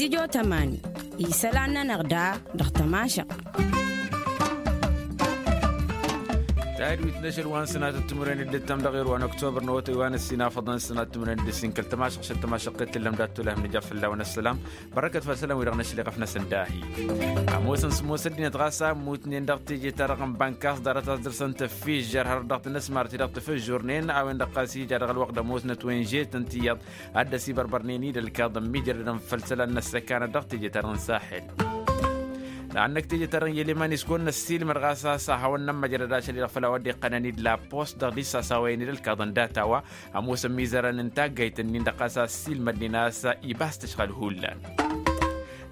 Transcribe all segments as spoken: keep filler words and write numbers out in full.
Ijotămani isălan-nănăɣ da dăɣ-tămašăɣt. Tahǝdwit n-ašăl wa n-sănatăt timǝrwen d-ǝttăm dăɣ-erwa n-oktobăr n-awătay wa n-ăssinafăḍăn sănatăt timǝrwen d-ǝssin kăl-tămašăɣt šăl tămašăɣt i-tǝllăm dat-tulăhăm nǝja fălla-wen ăssălam. Bărăkăt făll-isălan-wi-dăɣ n-ašăl iɣăf-năsăn dahi. Ămoosăn sǝmmos ăddinăt ɣas a ămmutnen dăɣ-teje-ta-dăɣ n-bănkas ḍarăt a-s dăr-săn tăffižžăr hărăt dăɣ-tinǝsmar-ti-dăɣ tafǝžžurnen a-wen-dăɣ ɣas ija dăɣ-ălwăqq d-ămoosnăt wenže-tăn tiyyăḍ ad-dd-ăsibărbărnen-dd ălkaḍăn mijrădăn făll-isălan n-ăssăkanăt dăɣ-teje-ta-dăɣ n-saxel. Dăɣ-annăk teje-ta-dăɣ n-yeleman iskon n-ăssiilmăd ɣas a-s ad-hawăn-nămmăjrăd ašăl-i-dăɣ făll-a-wa dd-iqqănăn-dd la post dăɣ-dd-isasawăyăn-dd ălkaḍăn data-wa ămoosăn imizărăn n-taggayt-nin-dăɣ ɣas a-s ăssiilmădnen a-s ibas tǝšɣǝl hullan.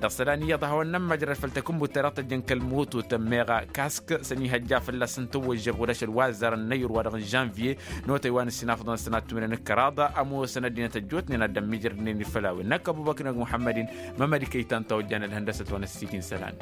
Dăɣ-isălan iyyăḍ ad-hawăn-nămmăjrăd făll-takǝnbut-ta-dăɣ tăjjăn kăl-moto tămmeɣ kask s-ănihăjja fălla-săn tăwwăžžăb ɣud ašăl wa ăzzarăn n-ayǝr-wa-dăɣ n-žănvye n-otăy wa n-ǝssin afḍăn sănat timǝrwen n-kăraḍ. Ămoosăn ăddinăt ăjjootnen ad-dd-ămmiijrădnen-dd făll-a-wen n-ăkk ăbubăkr n-muḥămmăd-in. Mămăd-i kăy-tan ta ojjan ălhăndăsăt wa n-ăssiit-in isălan.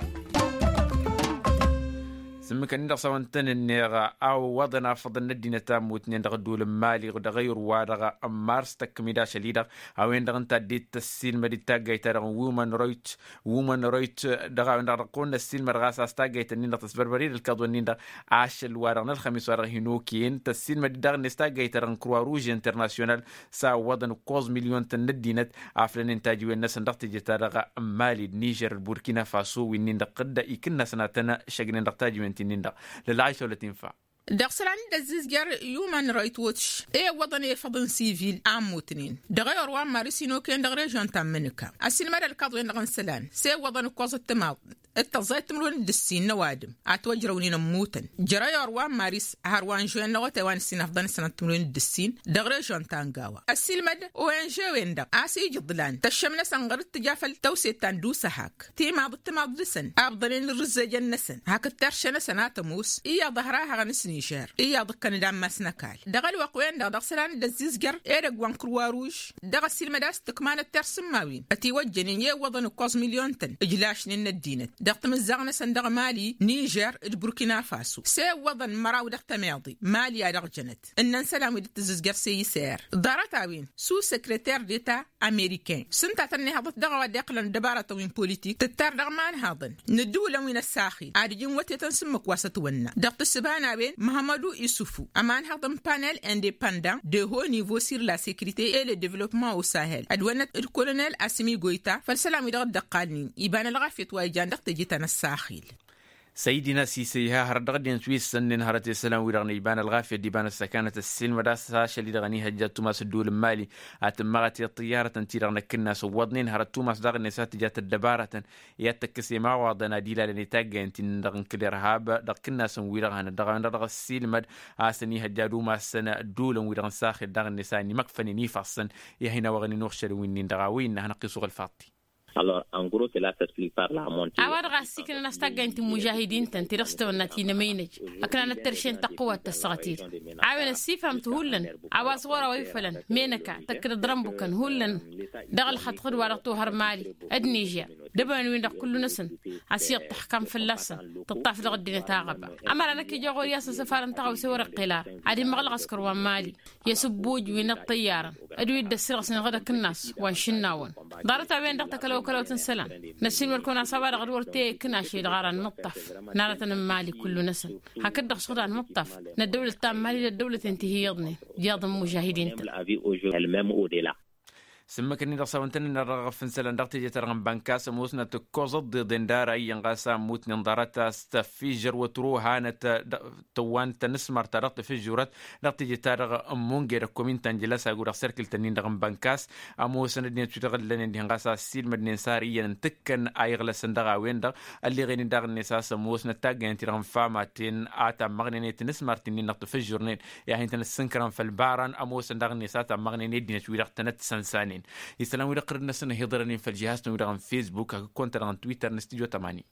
S-ǝmmǝk-ǝnnin-dăɣ s-a-wa n-tăn-ǝnneɣ a ǝwwăḍăn afăḍăn n-ăddinăt a ămmutnen dăɣ-ădduul n-mali dăɣ-ayǝr-wa-dăɣ n-mars tăkkăm-dd ašăl-i-dăɣ a-wen-dăɣ ǝnta a dd-tăssiilmăd-dd taggayt-ta-dăɣ n-women rights women rights. Dăɣ-a-wen-dăɣ dăɣ-kăwăn-năssiilmăd ɣas a-s taggayt-ǝnnin-dăɣ tăsbărbăr-dd ălkaḍu-ǝnnin-dăɣ ašăl-wa-dăɣ n-ălxămis-wa-dăɣ hin-okăyăn tăssiilmăd-dd daɣ-net taggayt-ta-dăɣ n-croix rouge international. S-a ǝwwăḍăn ǝkkoẓ milyon-tăn n-ăddinăt aflănen tajiwen-năsăn dăɣ-teje-ta-dăɣ n-mali d-nižer d-burkina faso wi-nin-dăɣ dd-ikǝnnasăn ad-tăn-šăgnen dăɣ-tajiwen-ti-nin-dăɣ. Lălɣaysa wăla t-infa. Dăɣ-isălan dd-ăzzizjăr human rights watch i-ǝwwăḍăn efăḍ n-sivil a ămmutnen dăɣ-ewăr wa n-maris hin-okăyăn dăɣ-režion ta n-mǝnǝka. Ăsiilmăd ălkaḍwen-dăɣ n-isălan s-e-ǝwwăḍăn ǝkkoẓăt timaḍ d-tăẓẓayăt timǝrwen d-ǝssin n-ăwadǝm a ătwăjrăwnen ămmutăn jer-ewăr wa n-maris har wa n-žuwen n-awătay wa n-ǝssin afḍăn d-sănat timǝrwen d-ǝssin. Dăɣ-režion ta n-gawa ăsiilmăd oenže-wen-dăɣ a-s ijǝḍlan tăššăm-năsăn ɣăr-dd tǝja făll-tăwse ta n-dusăhak timaḍ d-timaḍ dăɣ-săn abḍănen ǝrrǝzzejăn-năsăn hakd terše-năsăn a tămoos iyyăḍ ăhrahăɣăn s-nižer iyyăḍ ǝkkăn-dd ammas n-ăkall. Dăɣ-ălwăqq-wen-dăɣ dăɣ-isălan dd-ăzzizjăr edăgg wa n-kǝrwa ruž dăɣ-ăsiilmăd a-s tǝkmanăt tersǝmmawen ătiwăjjănen i-ǝwwăḍăn ǝkkoẓ milyon-tăn ǝjlašnen n-ăddinăt dăɣ-timǝzzaɣ-năsăn dăɣ-mali nižer d-burkina faso s-e-ǝwwăḍăn măraw dăɣ-tămeḍe mali a dăɣ-jănăt. Ǝnnăn isălan wi dd-tǝzzǝzjăr s-e-isăyăr ḍarăt-a-wen su sekreter deta ameriken s-ǝnta a tăn-ihăḍăt dăɣ-a-wa dd-iqqălăn dăbarătăn wi n-politik tǝttar dăɣ-imanhaḍăn n-ǝddǝwǝlăn wi n-ăssaxil ad-ǝjǝn wătetăn s-ǝmmǝk wa s-ătwănna. Dăɣ-tǝssǝba n-a-wen măhămădu isufu ămanhaḍ n-panel independant de haut niveau sur la sécurité et le développement au sahel ădwănnăt d-kolonel asimi goyta făll-isălan wi dăɣ-dd-ăqqalnen iba n-ălɣafyăt wa ijan dăɣ-teje ta n-ăssaxil. Săydina sisăyha hărăt dăɣ-ăddinăt wi ǝssănnen hărăt i-isălan-wi-dăɣ n-iba n-ălɣafyăt d-iba n-ăssăkanăt ăssiilmăd a-s ašăl-i-dăɣ ănihăjja ăttumas ădduul n-mali ad-tǝmmăɣăt i-ăṭṭǝyyarătăn-ti-dăɣ n-akǝnnas ǝwwăḍnen hărăt tumas daɣ-net a tǝjat ăddăbarătăn i-ad-tăkkăs i-imawaḍăn ad-ilalăn i-taggayăn-ti-nin-dăɣ n-kăl-irhab dăɣ-ikǝnnasăn-wi-dăɣ hanăt dăɣ-a-wen-dăɣ dăɣ-ăssiilmăd a-s ănihăjja ad-umasăn ădduulăn-wi-dăɣ n-saxel daɣ-net a ănimăkfănen ifassăn. I-ad-hin-awăɣnen uɣšălăn wi-nin-dăɣ a-wa innă a hanăɣ-t-isuɣǝl faḍti. A-wa dăɣ-a ăssiiknăn a-s taggayăn ti n-imužahidin-tăn ti-dăɣ s-tawănna ti n-emăynăj ăknanăt terše n-tăqqǝwat tăssăɣăt-i-dăɣ a-wen ăssifhăm-t hullan a-wa s-ɣur-a-wa ifălăn menăka tăkkăd ăḍrănbukăn hullan dăɣ-ălxăḍ ɣǝd-wa-dăɣ tohăr mali d-nižer d-ebănăn-win-dăɣ kullu-năsăn. Ăsiyyăḍ tăxkam fălla-săn tǝṭṭaf dăɣ-ăddinăt aɣăba ămăra năkk ija ɣur-i a-s ăsăfar n-taɣawse wăr-iqqel ara ad-immăɣlăɣ ăskăr wa n-mali i-asǝbbuj wi n-ăṭṭăyyarăn d-wi dd-ăssirɣǝsnen ɣǝd akǝnnas wa n-išǝnnawăn. Ḍarăt-a-wen-dăɣ tăkălăwkălăwt n-isălan năssiilmăd-kăwăn a-s a-wa-dăɣ dd-wăr t-e-ikǝn ašăl-i-dăɣ ara nǝṭṭaf n-arătăn n-mali kullu-năsăn. Hakd-dăɣ šăɣdan mǝṭṭaf n-ăddăwlăt ta n-mali d-ăddăwlăten ti hi-iyyăḍnen d-iyyăḍ n-imužahidin-tăn. S-ǝmmǝk-ǝnnin-dăɣ s-a-wăn tăn-ǝnnar dăɣ-aɣăf n-isălan dăɣ-teje-ta-dăɣ n-bănkas ămoosnăt ǝkkoẓăt d-iḍen d-ara iyyăn ɣas a ămmutnen ḍarăt a-s tăffižăr wătru hanăt tăwwan tanǝsmăr-ta-dăɣ tafǝžžurăt dăɣ-teje-ta-dăɣ n-munge d-ăkkomin ta n-jălăsag u-dăɣ serkǝl-tăn-in-dăɣ n-bănkas. Ămoosăn ăddinăt wi-dăɣ ǝllănen dihen ɣas a ăssiilmădnen s-ar iyyăn n-tǝkkăn a iɣlăsăn dăɣ-a-wen-dăɣ ălleɣen-in daɣ-net a-s ămoosnăt taggăyăn-ti-dăɣ n-famaten a tammăɣnen i-tanǝsmărt-in-dăɣ tafǝžžurnen i-ad-hin-tăn-ăssǝnkărăn făll-ibaran ămoosăn daɣ-net a tammăɣnen i-ăddinăt wi-dăɣ tănăt-sănsanen. Isălan-wi-dăɣ qărǝd-năsăn ăhiḍărăn-in făll-jihaz-tăn-wi-dăɣ n-facebook hakd kăwăn-ta-dăɣ n-twitter n-studio tămani.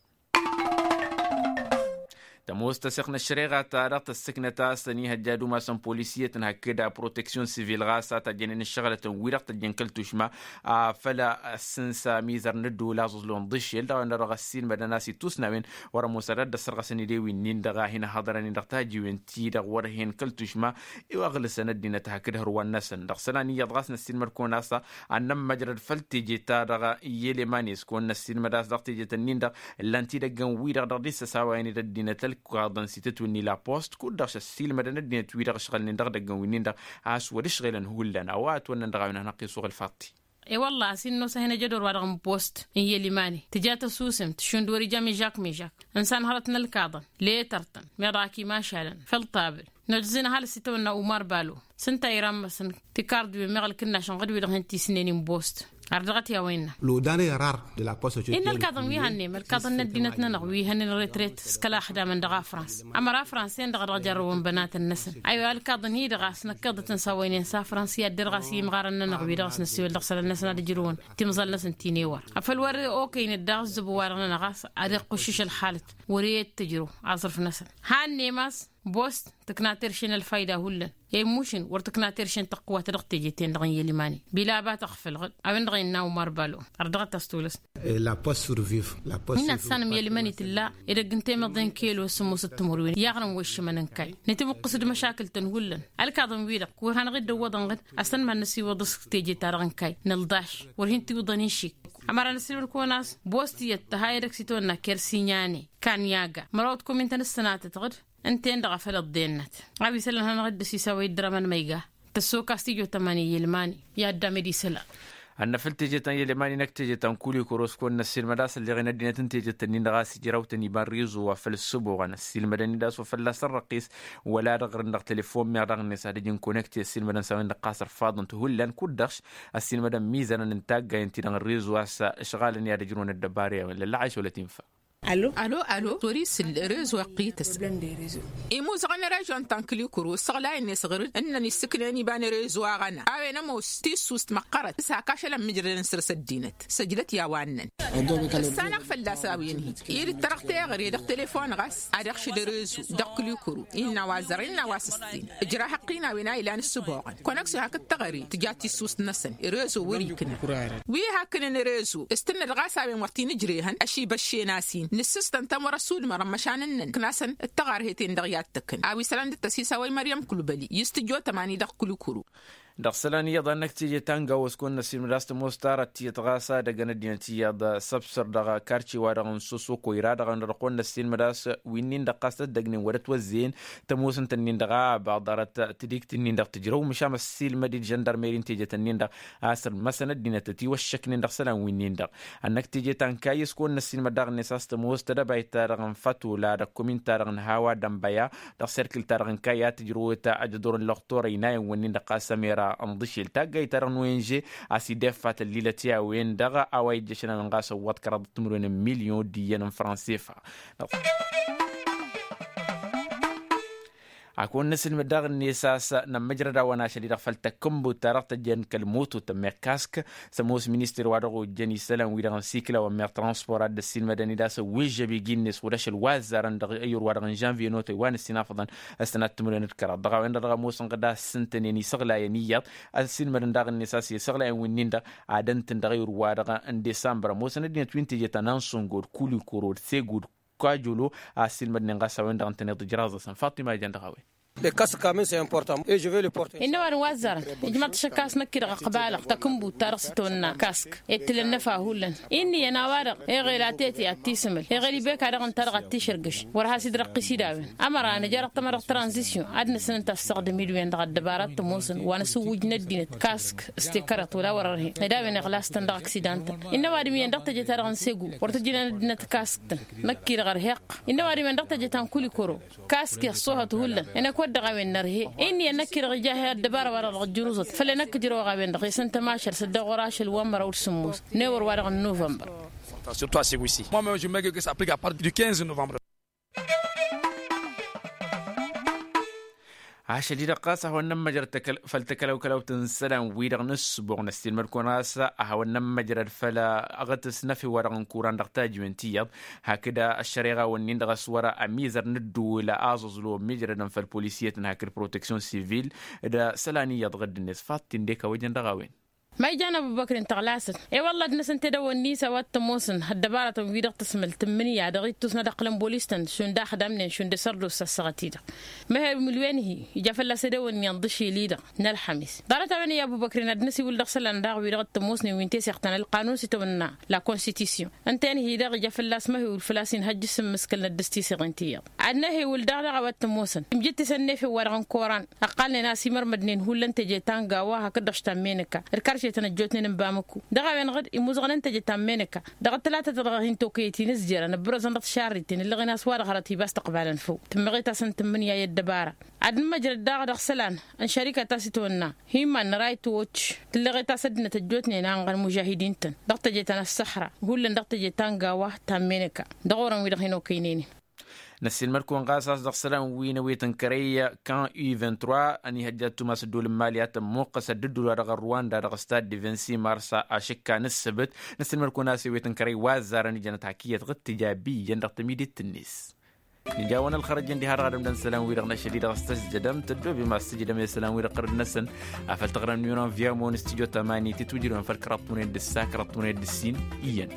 Tămoos tăseɣt n-ăššăreɣa-ta-dăɣ tăssǝknăt a-s ănihăjja ad-umasăn polisiyăt n-hakd proteksyon sivil ɣas a tajjănen ǝššăɣlătăn-wi-dăɣ tăjjăn kăl-tušma afăl ăssǝnsa mizăr n-ăddola aẓǝẓlu n-ḍǝššel dăɣ-a-wen-dăɣ ăssiilmădăn a-s ittusnawen wăr-ămoos ad-ăssărɣăsăn idewin-nin-dăɣ a hin-ăhhăḍărăn-in dăɣ-tajiwen-ti-dăɣ wăr-hen kăl-tušma. Iwăɣlǝsăn ăddinăt hakd hărwan-năsăn dăɣ-isălan iyyăḍ ɣas năssiilmăd-kăwăn a-s ad-nămmăjrăd făll-teje-ta-dăɣ i-elemani s-kăwăn-năssiilmăd a-s dăɣ-teje-tăn-in-dăɣ ǝllan-t idăggăn-wi-dăɣ dăɣ-dd-issăsawayăn d-ăddinăt ălkaḍăn s-itǝtwǝnni la post kud-dăɣ s-ăssiilmădăn ăddinăt-wi-dăɣ ǝšɣălnen dăɣ-idăggăn-wi-nin-dăɣ a-s wăr-ǝšɣelăn hullan a-wa ătwănnăn dăɣ-a-wen ad-hanăɣ-t-isuɣǝl faḍt-i. E-wălla a-s innă osăhen ejădor-wa-dăɣ n-post n-yelimani tǝja tăsusemt šund wăr-ija mižak mižak ǝnsan hărăt n-ălkaḍăn letăr-tăn meḍ ak imašalăn făll-tabǝl. Nădǝzǝn ăhalǝs itawănna umar balo s-ǝnta ira n-măsăn tikarḍiwen meɣ ălkǝnnaš ănɣăd-wi-dăɣ hin-tisnen inbost. Ar dăɣ-t i-a-wa innă. Lodane rar de la post. Innă ălkaḍăn wi hannăyăm ălkaḍăn n-ăddinăt-nănăɣ wi hănen retret s-kăla ăxdamăn dăɣ-afrans. Ămăra afrans-en-dăɣ a dăɣ-jărrăwăn bănatăn-năsăn aywa ălkaḍăn-i-dăɣ a-s năkkăḍăt n-sawăynen s-afrans i-ad-derɣ a-s imɣarăn-nănăɣ wi-dăɣ a-s năssiwăl dăɣ-isălan-năsăn ad-ǝjrǝwăn timẓal-năsăn ti-newăr. Afăl wăr okăynăt daɣ ǝzzǝbu-wa-dăɣ-nănăɣ a-s ad-iqqǝššǝš ălxalăt wăr-e d-tǝjrǝw aẓrǝf-năsăn. Hannăyăm a-s bost tǝkna terše n-ălfayda hullan. Emmušǝn wăr tǝkna terše n-tăqqǝwat dăɣ-teje-ten-dăɣ n-yălimani bila a-ba tăɣfălăɣ-dd. A-wen-dăɣ innă umar balo. Ar dăɣ-t a-s tolăs. La post surviv la post. Innă ăssanăm yălmăn itǝlla edăgg n-temăḍe n-kelo s-sǝmmos d-timǝrwen i-aɣrǝm wa iššǝmăn n-kayy. Nǝtǝmǝqqǝs d-măšakǝl-tăn hullan. Ălkaḍăn-wi-dăɣ wăr hanăɣ-dd-ăwwăḍăn ɣǝd. Ăstănmad n-ăsiwăḍ s-teje-ta-dăɣ n-kayy nǝlḍaš wăr hin-tiwǝḍăn išik. Ămăra n-ăssilmăd-kăwăn a-s bost iyyăt tăha edăgg s-itawănna kersinyane kanyaga măraw d-komintăn ǝssănatăt ɣǝd. Ǝnta-en-dăɣ a făl ăḍḍennăt a-wa isălan hanăɣ-dd-ăsisawăy dd-rămăn ma iga. Tăssokas tijotămani i-ilmani i-addam ed isălan. Ad-năfăl teje ta n-ilmani năkk teje ta n-kulikuro s-kăwăn-năssiilmăd a-s ălleɣen ăddinăt n-teje-tăn-in-dăɣ a-s ijraw-tăn iba n-rezo wa făll-ǝssǝboɣăn ăssiilmădăn-dd a-s wa fălla-s ărrăqqis. Wăla dăɣ-ărrǝn dăɣ-telefon meɣ daɣ-net ad-ǝjǝn konăkte ăssiilmădăn s-a-wen-dăɣ ɣas ărfaḍăn-t hullan kud-dăɣ-s ăssiilmădăn mizănăn n-taggayăn-ti-dăɣ n-rezo a-s ǝšɣalăn i-ad-ǝjrǝwăn ăddăbara i-a-wen lăllăɣayš wăla tinfa. Alo alo alo tori s-ǝlleɣ rezo ăqqităs. Imuzăɣăn rezo n-tankǝli kuro ǝssăɣlayăn-net ɣur-dd ǝnnăn issǝknen iba n-rezo aɣăna a-wen ămoos tissust măqqărăt s-hak ašăl ămmijrădăn săr-s ăddinăt săjdăt i-a-wa ǝnnăn. Ǝssanăɣ fălla-s a-wen-hi i-dd-tărăɣ teɣăre dăɣ-telefon ɣas ad-iɣšǝd rezo dăɣ-kǝli kuro innă a-wa ăzzărăn innă a-wa s-ǝssin. Ǝjrah ăqqin a-wen a ilan ǝssǝboɣăn kăwăn-ăksu hakd teɣăre tǝja tissust-năsăn rezo wăr-ikna. Wi haknăn rezo s-tǝnnăd ɣas a-wen wăr t-inǝjrehăn ăšibăššen a-s-in nǝssǝstăn-tăn wăr-ăssudmărăn măšan ǝnnăn ǝknasăn d-tăɣarhet-en-dăɣ i-ad-tǝkkǝn a-wa isălan dd-tăsisawăy măryăm kulbăli i-s tǝjjo tămani dăɣ-kulikuru. Dăɣ-isălan iyyăḍ a n-năkk teje ta n-gawo s-kăwăn-năssiilmăd a-s tămoos tarăt tiyyăt ɣas ad-ăgg n-ăddinăt iyyăḍ săbsăr dăɣ-karce-wa-dăɣ n-sosoko ira-dăɣ a n-dăɣ-kăwăn-năssiilmăd a-s wi-nin-dăɣ ɣas dd-ăggnen wăr-ătwăzzeyăn. Tămoosăn-tăn-in-dăɣ a baḍărăt tǝdikt-nin-dăɣ tǝjrăw măšan ăssiilmăd-dd žăndărmeri n-teje-tăn-in-dăɣ a-s ărmăsăn ăddinăt ătiwăššăknen dăɣ-isălan wi-nin-dăɣ. Ad-năkk teje ta n-kayy s-kăwăn-năssiilmăd daɣ-net a-s tămoos tedăbayt-ta-dăɣ n-fătula dăɣ-kumin-ta-dăɣ n-hawa dănbăya dăɣ-serkǝl-ta-dăɣ n-kayy a tǝjrăwăt ajăḍor n-lăɣtor ăynayăn-wǝnnin-dăɣ ɣas ămera n-ḍǝšel taggayt-ta-dăɣ n-ong a-s ideffa tăllilăt i-a-wen-dăɣ a-wa ijjăšăn ănɣas ăwwăḍ kăraḍăt timǝrwen n-milyon d-iyyăn n-fransefa. Ad-kăwăn-năsilmăd daɣ-net a-s nămmăjrăd a-wa n-ašăl-i-dăɣ făll-takǝnbut-ta-dăɣ tăjjăn kăl-moto tămmeɣ kask. S-ămoos minister wa dăɣ-ojjăn isălan-wi-dăɣ n-sikla wa n-meɣ transport a dd-ăssiilmădăn-dd a-s ăwwežžăb igi-net wăr-ašăl wa ăzzarăn dăɣ-eyur-wa-dăɣ n-žănviye n-otăy wa n-ǝssin afăḍăn. S-tănat timǝrwen d-kăraḍ dăɣ-a-wen-dăɣ dăɣ-ămoosăn ɣǝd a ǝssǝntănen isăɣlayăn iyyăḍ. Ăssiilmădăn daɣ-net a-s isăɣlayăn wi-nin-dăɣ ad-ǝntǝn dăɣ-eyur-wa-dăɣ n-disambăr ămoosăn ăddinăt wi n-teje ta n-ansǝngo d-kulikuro d-segu d-kajolo a ăssiilmădnen ɣas a-wen-dăɣ ǝntăneḍ ijraẓ-asăn faṭima ijan dăɣ-a-wen. Innă ăwadǝm wa ăzzarăn ijmaḍ-t ašăk a-s năkk-i-dăɣ ăqbalăɣ takǝnbut-ta-dăɣ s-itawănna kask ettǝlăn n-efa hullan. Inn'-iyyăn a-wa-dăɣ eɣel a tete ad-t-isǝmǝl eɣel ibeka dăɣ-ǝnta-dăɣ ad-t-išărgǝš. Wăr has-idrăqqis-dd a-wen ămăra nǝja dăɣ-tamăḍăɣt tranzisyon ad-năsnǝnta ăssaɣdăm-dd-wen-dăɣ ăddăbara t-ămoosăn wa n-asǝwwǝj n-ăddinăt kask s-tekărăḍt wăla wăr-ărhen ed a-wen iɣlas-tăn dăɣ-aksidan-tăn. Innă ăwadǝm iyyăn dăɣ-teje-ta-dăɣ n-segu wăr tǝjǝnen ăddinăt kask-tăn. Năkk-i-dăɣ ărheɣ. Innă ăwadǝm iyyăn dăɣ-teje ta n-kulikuro kask iṣṣohăt hullan. Ănăkwăt dăɣ-a-wen nărhe. Inn'-iyyăn năkk-i-dăɣ ija he-ăddăbara wa-dăɣ dăɣ-ǝjjǝruẓăt făl ănăkk ǝjrăwăɣ a-wen-dăɣ isăn tămašăl s-ăddoɣ wăr-ašăl wa n-măraw d-sǝmmos n-ewăr wa-dăɣ n-novămbăr. Surtout à Ségouissi. Moi-même, je me dis que ça applique à partir du quinze novembre. Ašăl-i-dăɣ ɣas a hawăn-nămmăjrăd făll-takălăwkălăwt n-isălan-wi-dăɣ n-ǝssǝboɣ n-ăssiilmăd-kăwăn ɣas a hawăn-nămmăjrăd făll-aɣǝtǝs n-efew-wa-dăɣ n-kuran dăɣ-tajǝwen ti iyyăḍ. Hakd ăššăreɣa-wǝnnin-dăɣ a-s wăr-ămizăr n-ǝddǝwǝl aẓǝẓlu ămmiijrădăn făll-polisiyăt n-hakd proteksyon sivil d-isălan iyyăḍ ɣǝdd-net faḍt-in d-ekawăjăn dăɣ-a-wen. Ma ijan ăbubăkri n-tăɣlasăt i-wălla ad-năsăn tedăwănni s-a-wa t-ămoosăn ăddăbarătăn-wi-dăɣ tǝsmǝl tǝmmǝnǝya dăɣ-ittus n-ad-ăqqǝlăn bolis-tăn šund axdamnen šund s-ărdos s-ăssaɣăt-i-dăɣ. Măhewǝl wenhi ija fălla-s edăwănni ănḍǝšil-i-dăɣ n-ălxămis ḍarăt-a-wen i-ăbubăkri n-ad-năsiwǝl dăɣ-isălan daɣ wi-dăɣ t-ămoosnen wi n-teseɣt ta n-ălqanun s-itawănna la konstitisyon. Ǝnta enhi-dăɣ ija fălla-s măhewǝl făl-a-s inhăjj s-immǝskǝlnăt dăɣ-s tiseɣen ti iyyăḍ. Ad-năhewǝl daɣ dăɣ-a-wa t-ămoosăn imjǝttǝsăn n-efew-wa-dăɣ n-koran ǝqqalnen a-s imărmădnen hullan teje ta n-gawa hakd-dăɣ štammene-ka d-karšetăn ăjjootnen n-bamǝkku. Dăɣ-a-wen-dăɣ d-imuzăɣnen teje ta n-meneka dăɣ-ăttălatăt-dăɣ hin-tokăyăt-in ǝzjărăn ăbbărăzăn dăɣ-tišarriten ǝllăɣen a-s wa-dăɣ hărăt ibas tăqbalăn făw tǝmmăɣet-asăn tǝmmǝnǝya i-ăddăbara. Ad-nǝmmăjrăd daɣ dăɣ-isălan n-šărika ta s-itwănna hi-iman n-raytwăcc tǝllăɣet-as ăddinăt ăjjootnen a ănɣăn mužahidin-tăn dăɣ-teje ta n-ăssăxra hullan dăɣ-teje ta n-gawa ta n-meneka dăɣ-orăn-wi-dăɣ hin-okăynen-in. Năssiilmăd-kăwăn ɣas a-s dăɣ-isălan wi n-ewet n-kărăy kan u vingt-trois ănihăjja ăttumas ăddool n-mali a tămmuqqăs ăddǝddul wa dăɣ-ărwanda dăɣ-stad devensi marsa ašǝkka n-ǝssǝbǝt. Năssiilmăd-kăwăn a-s ewet n-kărăy wa ăzzarăn ijănăt hak iyyăt ɣǝttǝja biyyăn dăɣ-tămidit-net. Nǝjawăn ălxărăj ǝndiha dăɣ-adǝm d-ănn isălan-wi-dăɣ n-ašăl-i-dăɣ s-tăžžădăm tăddoobem a-s tǝjdăm i-isălan-wi-dăɣ ɣărăd-năsăn. Afăl tăɣrăm n-iwăn n-viya măwăn s-tijo tămani tǝtwǝjrǝwăn făll-kăraḍt tunăyăt d-ǝssa kăraḍt tunăyăt d-ǝssin iyyăn.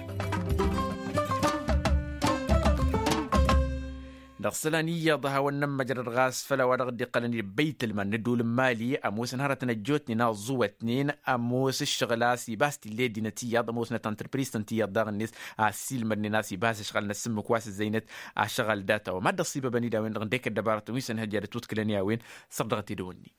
Dăɣ-isălan iyyăḍ a hawăn-nămmăjrăd ɣas făll-a-wa dăɣ-dd-iqqălăn i-băytălman n-ăddool n-mali ămoosăn hărătăn ăjjootnen aẓuwătnen ămoos ǝššăɣǝl a-s ibas t-illa i-ăddinăt iyyăḍ ămoosnăt ăntrăpriz-tăn ti iyyăḍ daɣ-net. A ăssiilmădnen a-s ibas ăšɣăl n-asǝmmǝk wa s-ǝzzăynăt ašăɣăl data wa mad-dăɣ-s ibăbăn-dd a-wen-dăɣ ǝndek ăddăbarătăn wi s-ănhăjja d-ătwǝḍkǝlăn i-a-wen săr dăɣ-t edăwănni.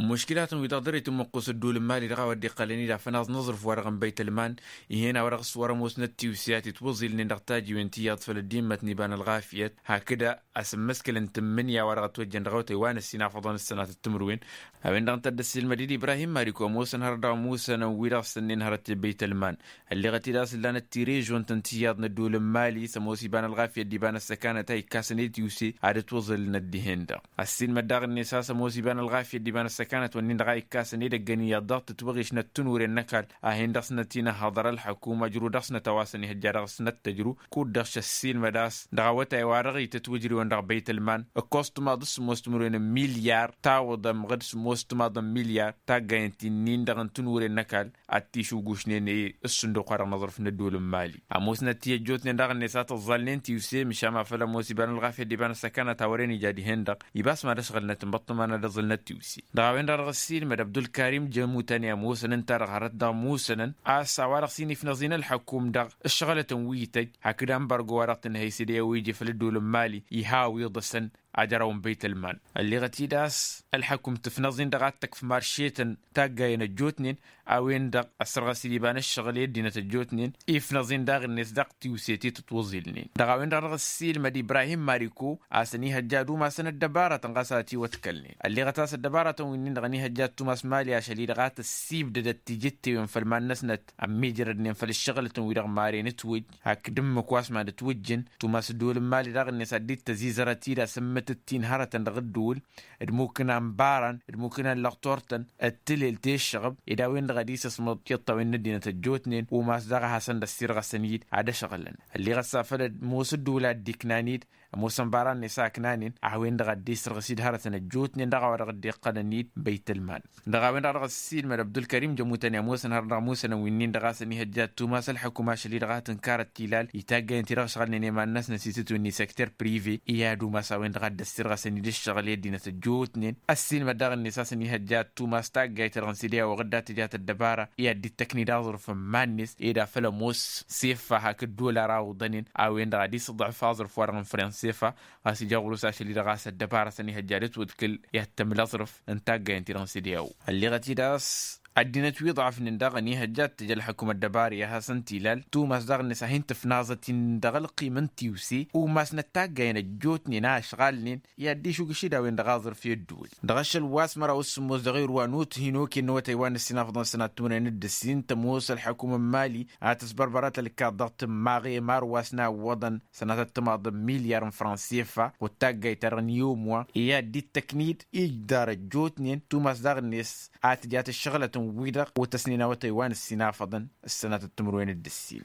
Muškilatăn wi dăɣ-dăr-i tǝmmǝqqus ăddool n-mali dăɣ-a-wa dd-iqqălăn-dd afănaẓ n-aẓrǝf wa-dăɣ n-băytălman. Ih'-en a-wa dăɣ-s wăr-ămoosnăt tiwse a t-itwăẓilnen dăɣ-tajiwen ti iyyăḍ făll-ăddimmăt n-iba n-ălɣafyăt hakd asǝmmǝskǝl n-tǝmmǝnǝya wa dăɣ-ătwăjjăn dăɣ-awătay wa n-ăssin afăḍăn ǝssănatăt timǝrwen. A-wen-dăɣ ǝnta a dd-ăssiilmăd-dd ibrahim maliku ămoosăn hărăt dăɣ-ămusănăn wi-dăɣ sănnen hărăt i-băytălman. Ălleɣăt-dd a-s ǝllanăt tirežon-tăn ti iyyăḍ n-ăddool n-mali s-ămoos iba n-ălɣafyăt d-iba n-ăssăkanăt a ikkasăn i-tiwse ad-ătwăẓǝlnăt dihen-dăɣ. Ăssiilmăd daɣ-net a-s ămoos iba n-ălɣafyăt d-iba n-ăssăkanăt-wǝnnin-dăɣ a ikkasăn edăgg ăniyyăḍ dăɣ-tǝtwăɣiš n-ăttǝnure n-ăkall. A hin-dăɣ-snăt-inăhhăḍăr ălḥăkum ăjru dăɣ-snăt a-wa s-ănihăjja dăɣ-snăt tǝjru. Kud-dăɣ šăssiilmăd a-s dăɣ-awătay wa dăɣ-itǝtwǝjrǝwăn dăɣ-băytălman ǝkkoẓ tǝmaḍ s-sǝmmos timǝrwen n-milyar tawǝḍăm ɣǝd sǝmmos tǝmaḍ n-milyar taggayen ti-nin-dăɣ n-tǝnure n-ăkall. Ad-t-išugušnen i-ǝssǝnduq wa dăɣ-năẓrǝf n-ăddool n-mali ămoosnăt ti ăjjootnen daɣ-net a tăẓẓalnen tiwse măšan ma făl ămoos iba n-ălɣafyăt d-iba n-ăssăkanăt a wăren ija dihen-dăɣ. Ibas mad-ăšɣǝlnăt ǝnbăṭṭăma n-ad-ăẓǝlnăt tiwse dăɣ-a-wen-dăɣ dăɣ-ăssiilmăd abdulkarim jămutani ămoosăn ǝnta-dăɣ hărăt dăɣ-ămoosănăn a-s a-wa dăɣ-s hin-ifnăẓin ălxăkum dăɣ-ǝššăɣǝlătăn wi ităjj hakd ănbărgo wa dăɣ-tǝnhăy s-dd-e-wa ije făll-ăddool n-mali. Iha a-wa iḍăsăn ajăraw n-băytălman. Ălleɣăt-dd a-s ălxăkum tǝfnăẓ-in dăɣ-ad-tăkf marše-tăn taggayen ăjjootnen. A-wen-dăɣ ăssărɣăs-dd iba n-ǝššăɣǝl i-ăddinăt ăjjootnen ifnăẓ-in daɣ-net dăɣ-tiwse ti tǝtwăẓilnen dăɣ-a-wen-dăɣ dăɣ-s s-ilmăd ibrahim mariko a-s ănihăjja ad-umasăn ăddăbarătăn ɣas a ătiwătkălnen. Ălleɣăt a-s ăddăbarătăn wi-nin-dăɣ ănihăjja ad-tumas mali ašăl-i-dăɣ a tăssibdădăt tijǝttewen făll-iman-năsnăt ămmiijrădnen făll-ǝššăɣǝlătăn-wi-dăɣ maren ǝtwǝjj hakd ǝmmǝk wa s-mad-ătwǝjjǝn. Tumas ăddool n-mali daɣ-net ad-dd-tăzizărăt-dd asǝmmǝtǝttin hărătăn dăɣ-ǝddǝwǝl d-imukǝna n-ibarăn d-imukǝna n-lăɣtor-tăn d-tǝlel teššăɣăb ed a-wen-dăɣ ad-isǝsmăḍ tiṭṭawen n-ăddinăt ăjjootnen umas daɣ a hasăn-dd-ăssirɣăsăn-dd ad-ăšɣǝlăn. Ălleɣăt s-afăl ămoos ǝddǝwǝl a dd-iknan-dd ămoosăn ibarăn-net a ǝknanen a-wen-dăɣ ad-dd-isǝrɣǝs-dd hărătăn ăjjootnen dăɣ-a-wa dăɣ-dd-iqqălăn-dd băytălman. Dăɣ-a-wen-dăɣ dăɣ-s s-ilmăd abdulkărim jămutăn i-ămoosăn hărăt dăɣ-ămoosănăn wi-nin-dăɣ a-s ănihăjja ad-tumas ălxăkum ašăl-i-dăɣ a tǝnkarăt tilal i-taggayăn ti-dăɣ ăšɣălnen i-iman-năsnăs itǝtwǝnni săkter prive i-ad-umas a-wen-dăɣ a dd-ăssirɣăsăn-dd ǝššăɣǝl i-ăddinăt ăjjootnen. Ăssiilmăd daɣ-net a-s ănihăjja ad-tumas taggayt-ta-dăɣ n-sede a oɣǝd ad-tǝja tăddăbara i-ad-dd-tăkni d-aẓrǝf n-iman-net ed afăl ămoos seffa hakd dolar a oḍănen a-wen-dăɣ ad-isǝḍǝf aẓrǝf-wa-dăɣ n-franc seffa. Ɣas ija ɣur-s ašăl-i-dăɣ a-s ăddăbara a-s ănihăjja ad-ătwǝḍkǝl i-ad-tămǝl aẓrǝf n-taggayăn-ti-dăɣ n-sede a o ălleɣăt-dd a-s Ăddinăt wi ḍafnen dăɣ-ănihăjja ad-tǝj ălxăkum ăddăbari a hasăn-t-ilal tumas daɣ-net a hin-tǝfnaẓăt-in dăɣ-ălqim n-tiwse. Umasnăt taggayăn ăjjootnen a ăšɣalnen i-ad-dd-išugǝš-dd a-wen dăɣ-aẓrǝf i-ăddǝwǝl dăɣ-ašăl wa s-măraw s-sǝmmos dăɣ-irwa n-uthin okăyăn n-awătay wa n-ăssinafăḍăn sănat timǝrwen d-ǝssin tămoos ălxăkum n-mali a tǝsbărbărat ălkaḍ dăɣ-tǝmmaɣe mar wa s-nǝwwăḍăn sănatăt timaḍ n-milyar n-fransefa ɣud taggayt-ta-dăɣ n-iwǝm wa i-ad-dd-ittăknid ijdar ăjjootnen tumas daɣ-net a tǝjat ǝššăɣǝlăt n-wi-dăɣ otăsnen awătay wa n-ǝssinafăḍăn ăssănatăt timǝrwen d-ǝssin.